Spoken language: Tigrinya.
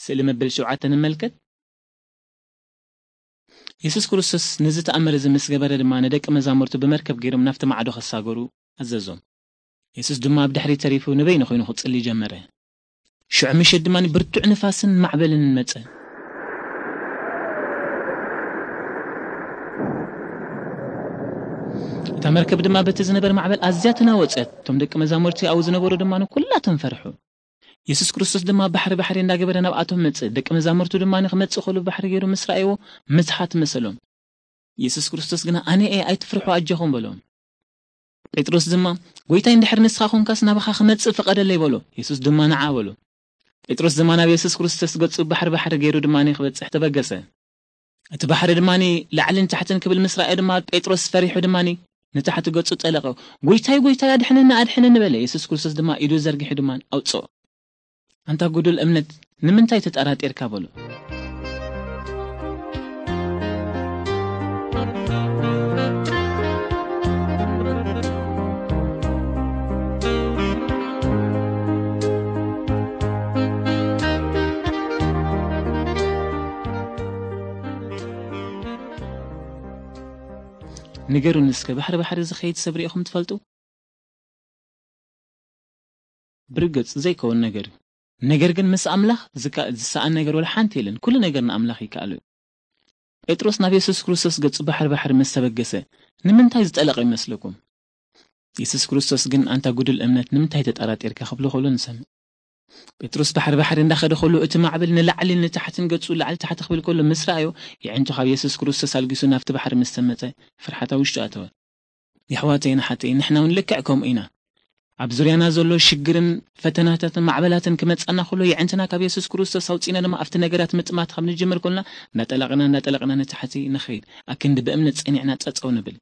ስእሊ መበል ሸውዓተ ንመልከት። የሱስ ክርስቶስ ነዚ ተኣምር እዚ ምስ ገበረ ድማ፣ ንደቂ መዛሙርቱ ብመርከብ ገይሮም ናብቲ ማዕዶ ከሳገሩ ኣዘዞም። የሱስ ድማ ኣብ ድሕሪት ተሪፉ ንበይኑ ኮይኑ ክጽሊ ጀመረ። ሽዑ ምሸት ድማ ብርቱዕ ንፋስን ማዕበልን መጸ። እታ መርከብ ድማ በቲ ዝነበረ ማዕበል ኣዝያ ተናወጸት። እቶም ደቂ መዛሙርቲ ኣብኡ ዝነበሩ ድማ ኩላቶም ፈርሑ። የሱስ ክርስቶስ ድማ ባሕሪ ባሕሪ እንዳገበረ ናብኣቶም መጸ። ደቂ መዛሙርቱ ድማ ንክመጽእ ከሎ ባሕሪ ገይሩ ምስ ረኣይዎ ምትሓት መሰሎም። የሱስ ክርስቶስ ግና፣ "ኣነ እየ፣ ኣይትፍርሑ፣ ኣጆኹም" በሎም። ጴጥሮስ ድማ፣ "ጎይታይ፣ እንድሕር ንስኻ ኮንካስ ናባኻ ክመጽእ ፍቐደለይ" በሎ። የሱስ ድማ፣ "ንዓ" በሎ። ጴጥሮስ ድማ ናብ የሱስ ክርስቶስ ገጹ ባሕሪ ባሕሪ ገይሩ ድማ ክበጽሕ ተበገሰ። እቲ ባሕሪ ድማ ላዕልን ታሕትን ክብል ምስ ረኣየ ድማ ጴጥሮስ ፈሪሑ ድማ ንታሕቲ ገጹ ጠለቐ። "ጎይታይ፣ ጎይታይ፣ ኣድሕነኒ፣ ኣድሕነኒ" በለ። የሱስ ክርስቶስ ድማ ኢዱ ዘርጊሑ ድማ ኣውጽኦ። "ኣንታ ጉዱል እምነት፣ ንምንታይ ተጠራጢርካ?" በሎ። ንገሩኒ እስከ፣ ባሕሪ ባሕሪ ዝኸይድ ሰብ ርኢኹም ትፈልጡ? ብርግጽ ዘይከውን ነገር እዩ። ነገር ግን ምስ ኣምላኽ ዝካ-፣ ዝሰኣን ነገር ወላ ሓንቲ የለን። ኩሉ ነገር ንኣምላኽ ይከኣሎ እዩ። ጴጥሮስ ናብ የሱስ ክርስቶስ ገጹ ባሕሪ ባሕሪ ምስ ተበገሰ፣ ንምንታይ ዝጠለቐ ይመስለኩም? የሱስ ክርስቶስ ግን፣ "ኣንታ ጉዱል እምነት፣ ንምንታይ ተጠራጢርካ?" ክብሎ ከሎ ንሰምዕ። ጴጥሮስ ባሕሪ ባሕሪ እንዳኸደ ከሎ፣ እቲ ማዕበል ንላዕሊ ንታሕትን ገጹ ላዕሊ ታሕቲ ክብል ከሎ ምስ ረኣዮ፣ የዕንቱ ካብ የሱስ ክርስቶስ ኣልጊሱ ናብቲ ባሕሪ ምስ ሰመጠ፣ ፍርሓት ኣብ ውሽጡ ኣተወ። የሕዋተይን ኣሓተይን፣ ንሕና እውን ልክዕ ከምኡ ኢና። ኣብ ዙርያና ዘሎ ሽግርን ፈተናታትን ማዕበላትን ክመጻና ከሎ፣ የዕንትና ካብ የሱስ ክርስቶስ ኣውጺና ድማ ኣብቲ ነገራት ምጥማት ካብ ንጅምር ከሎና፣ እንዳጠለቕና፣ እንዳጠለቕና ንታሕቲ ንኸይድ። ኣክንዲ ብእምነት ጸኒዕና ጸጸው ንብል።